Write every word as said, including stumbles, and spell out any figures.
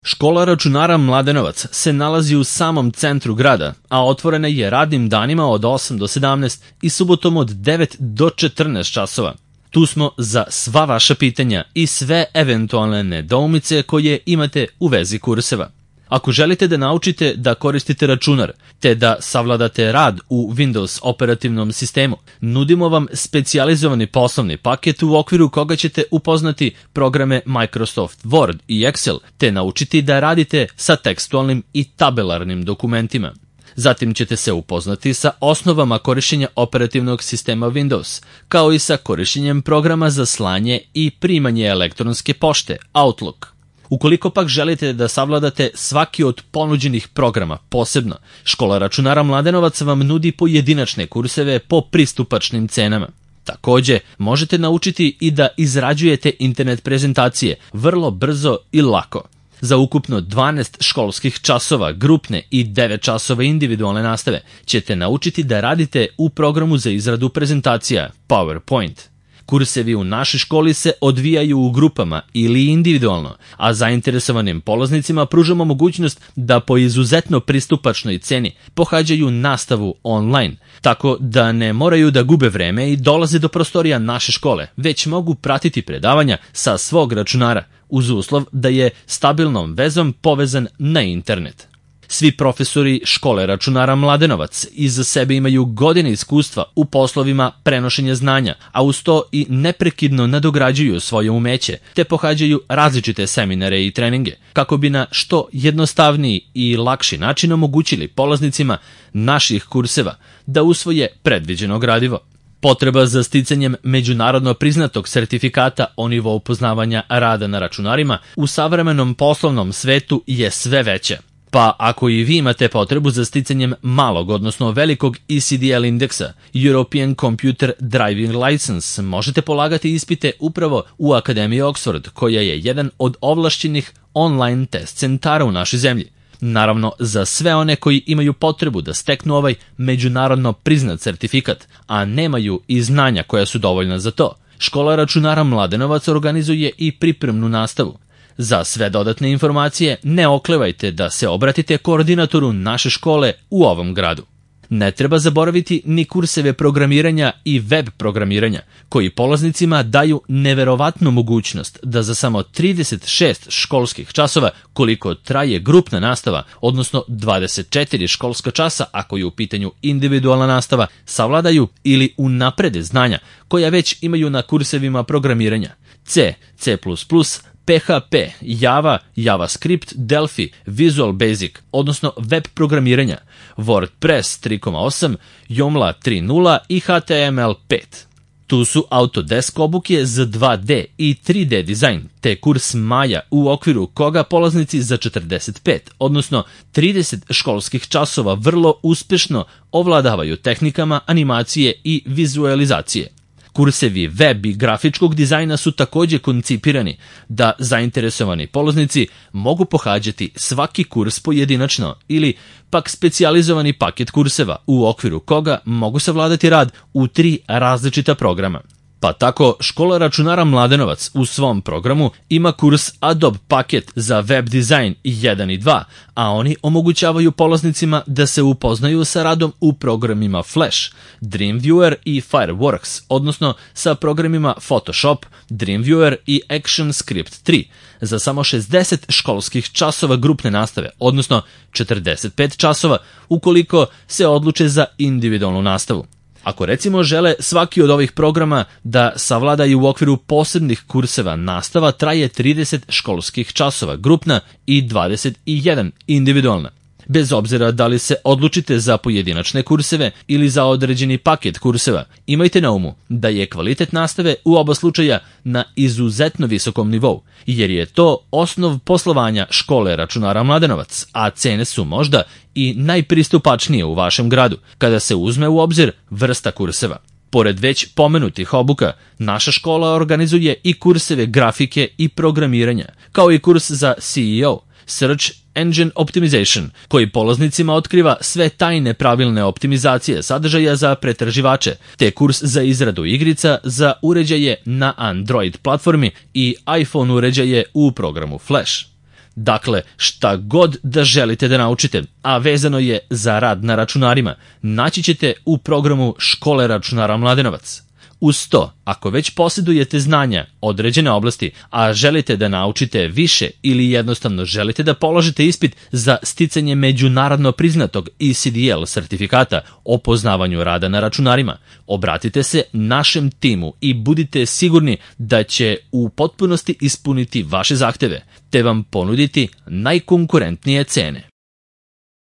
Škola računara Mladenovac se nalazi u samom centru grada, a otvorena je radnim danima od osam do sedamnaest i subotom od devet do četrnaest časova. Tu smo za sva vaša pitanja i sve eventualne nedoumice koje imate u vezi kurseva. Ako želite da naučite da koristite računar, te da savladate rad u Windows operativnom sistemu, nudimo vam specijalizovani poslovni paket u okviru koga ćete upoznati programe Microsoft Word i Excel, te naučiti da radite sa tekstualnim i tabelarnim dokumentima. Zatim ćete se upoznati sa osnovama korišćenja operativnog sistema Windows, kao i sa korišćenjem programa za slanje i primanje elektronske pošte, Outlook. Ukoliko pak želite da savladate svaki od ponuđenih programa posebno, Škola računara Mladenovac vam nudi pojedinačne kurseve po pristupačnim cenama. Takođe, možete naučiti i da izrađujete internet prezentacije vrlo brzo i lako. Za ukupno dvanaest školskih časova grupne i devet časova individualne nastave ćete naučiti da radite u programu za izradu prezentacija PowerPoint. Kursevi u našoj školi se odvijaju u grupama ili individualno, a zainteresovanim polaznicima pružamo mogućnost da po izuzetno pristupačnoj ceni pohađaju nastavu online, tako da ne moraju da gube vreme i dolaze do prostorija naše škole, već mogu pratiti predavanja sa svog računara, uz uslov da je stabilnom vezom povezan na internet. Svi profesori Škole računara Mladenovac iza sebe imaju godine iskustva u poslovima prenošenja znanja, a uz to i neprekidno nadograđuju svoje umeće, te pohađaju različite seminare i treninge, kako bi na što jednostavniji i lakši način omogućili polaznicima naših kurseva da usvoje predviđeno gradivo. Potreba za sticanjem međunarodno priznatog sertifikata o nivou poznavanja rada na računarima u savremenom poslovnom svetu je sve veća. Pa ako i vi imate potrebu za sticanjem malog, odnosno velikog E C D L indeksa, European Computer Driving License, možete polagati ispite upravo u Akademiji Oxford, koja je jedan od ovlašćenih online test centara u našoj zemlji. Naravno, za sve one koji imaju potrebu da steknu ovaj međunarodno priznat sertifikat, a nemaju i znanja koja su dovoljna za to, Škola računara Mladenovac organizuje i pripremnu nastavu. Za sve dodatne informacije ne oklevajte da se obratite koordinatoru naše škole u ovom gradu. Ne treba zaboraviti ni kurseve programiranja i web programiranja, koji polaznicima daju neverovatnu mogućnost da za samo trideset šest školskih časova, koliko traje grupna nastava, odnosno dvadeset četiri školska časa ako je u pitanju individualna nastava, savladaju ili unaprede znanja koja već imaju na kursevima programiranja C, C plus plus, P H P, Java, JavaScript, Delphi, Visual Basic, odnosno web programiranja, WordPress tri koma osam, Joomla tri koma nula i H T M L pet. Tu su Autodesk obuke za dva D i tri D dizajn, te kurs Maja u okviru koga polaznici za četrdeset pet, odnosno trideset školskih časova vrlo uspešno ovladavaju tehnikama animacije i vizualizacije. Kursevi web i grafičkog dizajna su takođe koncipirani da zainteresovani polaznici mogu pohađati svaki kurs pojedinačno ili pak specijalizovani paket kurseva u okviru koga mogu savladati rad u tri različita programa. Pa tako, Škola računara Mladenovac u svom programu ima kurs Adobe paket za web dizajn jedan i dva, a oni omogućavaju polaznicima da se upoznaju sa radom u programima Flash, Dreamviewer i Fireworks, odnosno sa programima Photoshop, Dreamviewer i ActionScript tri, za samo šezdeset školskih časova grupne nastave, odnosno četrdeset pet časova ukoliko se odluče za individualnu nastavu. Ako recimo žele svaki od ovih programa da savladaju u okviru posebnih kurseva, nastava traje trideset školskih časova grupna i dvadeset jedan individualna. Bez obzira da li se odlučite za pojedinačne kurseve ili za određeni paket kurseva, imajte na umu da je kvalitet nastave u oba slučaja na izuzetno visokom nivou, jer je to osnov poslovanja Škole računara Mladenovac, a cene su možda i najpristupačnije u vašem gradu, kada se uzme u obzir vrsta kurseva. Pored već pomenutih obuka, naša škola organizuje i kurseve grafike i programiranja, kao i kurs za C E O, Search Engine Optimization, koji polaznicima otkriva sve tajne pravilne optimizacije sadržaja za pretraživače, te kurs za izradu igrica za uređaje na Android platformi i iPhone uređaje u programu Flash. Dakle, šta god da želite da naučite, a vezano je za rad na računarima, naći ćete u programu Škole računara Mladenovac. Uz to, ako već posjedujete znanja određene oblasti, a želite da naučite više ili jednostavno želite da položite ispit za sticanje međunarodno priznatog E C D L sertifikata o poznavanju rada na računarima, obratite se našem timu i budite sigurni da će u potpunosti ispuniti vaše zahteve, te vam ponuditi najkonkurentnije cene.